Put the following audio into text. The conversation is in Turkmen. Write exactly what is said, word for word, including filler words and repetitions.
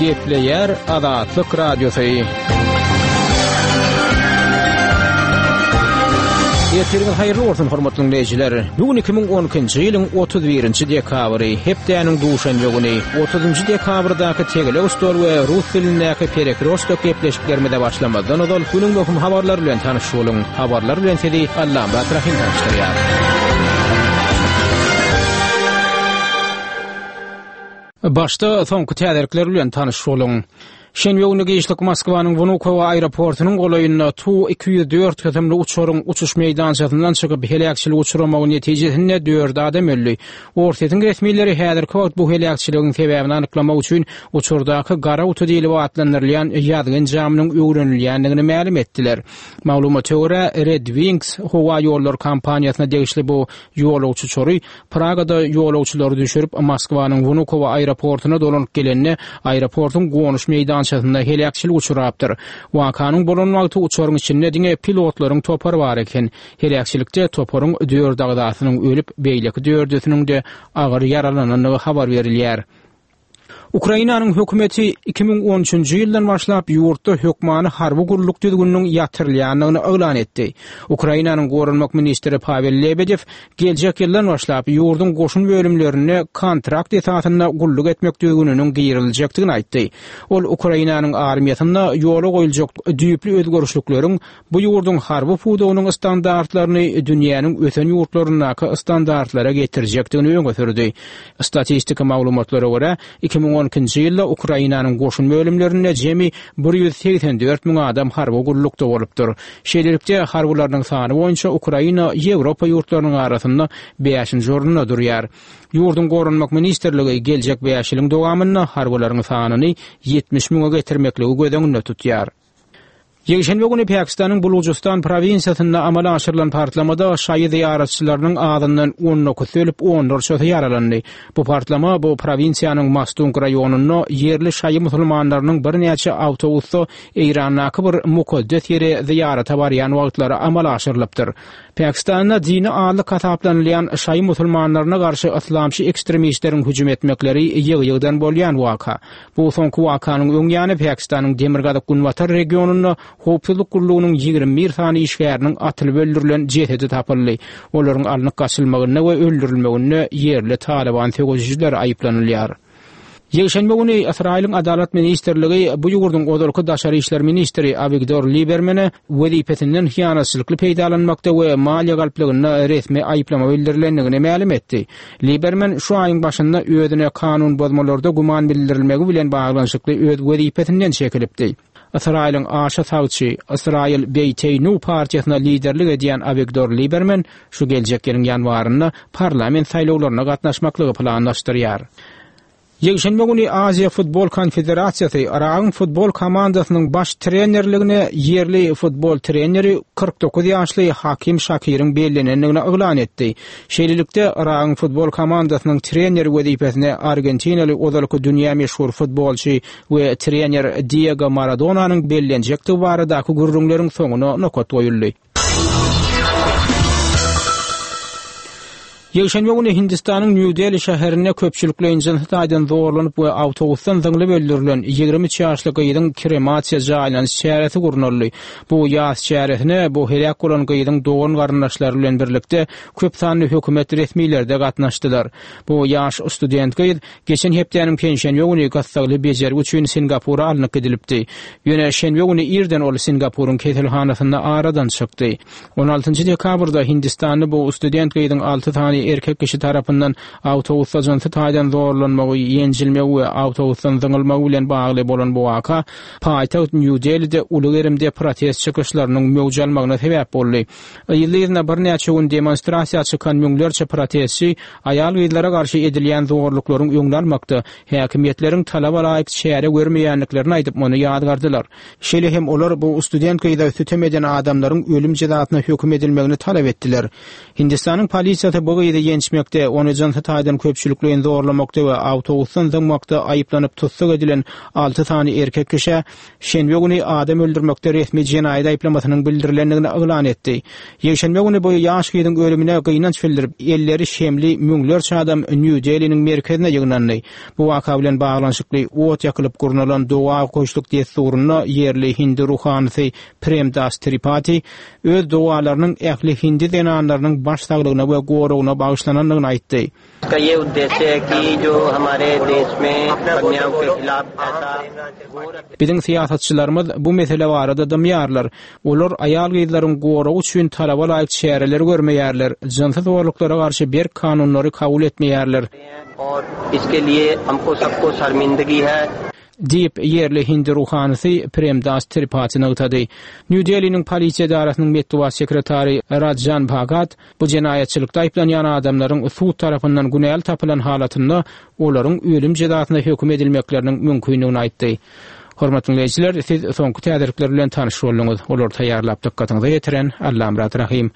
Gepleýär Azatlyk Radiosy. Ertiriňiz haýyrly bolsun, hormatly dinleýjiler. Bu gün iki müň on ikinji ýylyň otuz birinji dekabry, hepdäniň duşenbe güni. Otuzynjy dekabrdaky tegelek stol we rus dilindäki perekrostok gepleşiklerimize başlamazdan ozal günüň möhüm habarlary bilen tanyş boluň. Habarlar bilen sizi Allamyrat Rahym tanyşdyrýar. Başda soňky täzelikler bilen tanyş boluň. Şenbe güni giçlik Moskwanyň Wnukowo aeroportunyň golaýynda Tu iki ýüz dört kysymly uçaryň uçuş meýdançasyndan çykyp heläkçilik uçramagy netijesinde dört adam öldi. Orsýetiň resmileri häzirki wagt bu heläkçiligiň sebäbini anyklamak üçin uçardaky gara guty diýlip atlandyrylýan ýazgy enjamynyň öwrenilýändigini mälim etdiler. Maglumata görä, Red Wings howa ýollary kompaniýasyna degişli bu ýolagçy uçary Pragada ýolagçylary düşürip Moskwanyň Wnukowo aeroportuna dolanyp gelende aeroportuň gonuş meýdançasynda heläkçilik uçrapdyr. Wakanyň bolan wagty uçaryň içinde diňe pilotlaryň topary bar eken. Heläkçilikde toparyň dört agzasynyň ölüp, beýleki dördüsiniň de agyr ýaralanandygy habar berilýär. Ukrainanyň hökümeti iki müň on üçünji ýyldan başlap ýurtda hökmany harby gulluk düzgüniniň ýatyrylýandygyny yglan etdi. Ukrainanyň goranmak ministri Pavel Lebedew geljek ýyldan başlap ýurduň goşun bölümlerinde kontrakt esasynda gulluk etmek düzgüniniň giriziljekdigini aýtdy. Ol Ukrainanyň armiýasynda ýola goýuljak düýpli özgerişlikleriň bu ýurduň harby pudagynyň standartlaryny dünýäniň ösen ýurtlaryndaky standartlara getirjekdigini öňe sürdi. Statistika maglumatlara görä, iki müň on ikinji ýylda Ukrainanyň goşun bölümlerinde jemi bir ýüz segsen dört müň adam harby gullukda bolupdyr. Şeýlelikde, harbylarynyň sany boýunça Ukraina Ýewropa ýurtlarynyň arasynda bäşinji orunda durýar. Ýurduň goranmak ministrligi geljek bäş ýylyň dowamynda harbylaryň sanyny ýetmiş müňe getirmekligi göz öňünde tutýar. Ýekşenbe güni Pakistanyň Bulujystan prowinsiýasynda amala aşyrylan partlamada şaýy zyýaratçylarynyň azyndan on dokuz ölüp, onlarçasy ýaralandy. Bu partlama bu prowinsiýanyň Mastung raýonynda ýerli şaýy musulmanlarynyň birnäçe awtobusda Eýrandaky bir mukaddes ýere zyýarata barýan wagtlary amala aşyrylypdyr. Pakistanda dini azlyk hasaplanylýan şaýy musulmanlaryna garşy yslamçy ekstremistleriň hüjüm etmekleri ýygy-ýygydan bolýan waka. Bu soňky wakanyň öň ýany Pakistanyň demirgazyk günbatar regionynda howpsuzlyk gullugynyň ýigrimi bir sany işgäriniň atylyp öldürilen jesedi tapyldy. Olaryň alnyp gaçylmagynda we öldürilmeginde ýerli Taliban söweşijileri aýyplanylýar. Ýekşenbe güni Ysraýylyň Adalat ministrligi bu ýurduň ozalky daşary işler ministri Avigdor Libermene wezipesinden hyýanatçylykly peýdalanmakda we maliýe galplygynda resmi aýyplama bildirilendigini mälim etdi. Liberman şu aýyň başynda özüne kanun bozmalarda güman bildirilmegi bilen baglanyşykly öz wezipesinden çekilipdi. Ysraýylyň aşa sagçy Ysraýyl Beýteýnu partiýasyna liderlik edýän Avigdor Liberman şu geljek ýylyň ýanwarynda parlament saýlawlaryna gatnaşmaklygy planlaşdyrýar. Ýekşenbe güni Aziýa Futbol Konfederasiýasy Yragyň futbol komandasynyň baş trenerligine ýerli futbol treneri kyrk dokuz ýaşly Hakim Şakiriň bellenendigini yglan etdi. Şeýlelikde, Yragyň futbol komandasynyň treneri wezipesine Argentinaly ozalky dünýä meşhur futbolçy we trener Diego Maradonanyň bellenjekdigi baradaky gürrüňleriň soňuna nokat goýuldy. Ýekşenbe güni Hindistanyň New Delhi şäherinde köpçülikleýin jynsy taýdan zorlanyp we awtobusdan zyňlyp öldürilen ýigrimi üç ýaşly gyzyň kremasiýa jaýlanyş çäresi gurnaldy. Bu ýas çäresine bu heläk bolan gyzyň dogan garyndaşlary bilen birlikde köp sanly hökümet resmileri de gatnaşdylar. Bu ýaş student gyz geçen hepdäniň penşenbe güni gassagly bejergi üçin Singapura alnyp gidilipdi. Ýöne şenbe güni irden ol Singapuryň keselhanasynda aradan çykdy. On altynjy dekabrda Hindistanda bu student gyzyň alty sany erkek kişi tarapyndan awtobusda jynsy taýdan zorlanmagy, ýenjilmegi we awtobusdan zyňylmagy bilen bagly bolan bu waka paýtagt New Delhi'de uly gerimde protest çykyşlarynyň möwç almagyna sebäp boldy. Yzly-yzyna birnäçe gün demonstrasiýa çykan müňlerçe protestçi aýal gyzlara garşy edilýän zorluklaryň öňüni almakda häkimiýetleriň talaba laýyk çäre görmeýändiklerini aýdyp muny ýazgardylar. Şeýle hem olar bu student gyza sütem eden adamlaryň ölüm jezasyna höküm edilmegini talap etdiler. Hindistanyň polisiýasy bu gyzy gyzy ýençmekde, ony jynsy taýdan köpçülikleýin zorlamakda we awtobusdan zyňmakda aýyplanyp tussag edilen alty sany erkek kişä şenbe güni adam öldürmekde resmi jenaýat aýyplamasynyň bildirilendigini yglan etdi. Ýekşenbe güni bu ýaş gyzyň ölümine gynanç bildirip, elleri şemli müňlerçe adam Nýu-Deliniň merkezine ýygnandy. Bu waka bilen baglanyşykly ot ýakylyp gurnalan doga okaýyşlyk dessurynda ýerli hindi ruhanysy Prem Das Tripati öz dogalarynyň ähli hindi zenanlarynyň baş saglygyna we goragyna bagyşlanandygyny aýtdy. Biziň syýasatçylarymyz bu mesele barada dymýarlar. Olar aýal-gyzlaryň goragy üçin talaba laýyk çäreleri görmeýärler, jynsy zorluklara garşy berk kanunlary kabul etmeýärler. Diýip, ýerli hindi ruhanysy Prem Das Tripati nygtady. Nýu-Deliniň polisiýa edarasynyň metbugat sekretary Rajan Bhagat bu jenaýatçylykda aýyplanýan adamlaryň sud tarapyndan günäli tapylan halatynda olaryň ölüm jezasyna höküm edilmekleriniň mümkindigini aýtdy. Hormatly diňleýjiler, siz soňky täzelikler bilen tanyş bolduňyz. Olary taýýarlap dykgatyňyza ýetiren Allamyrat Rahym.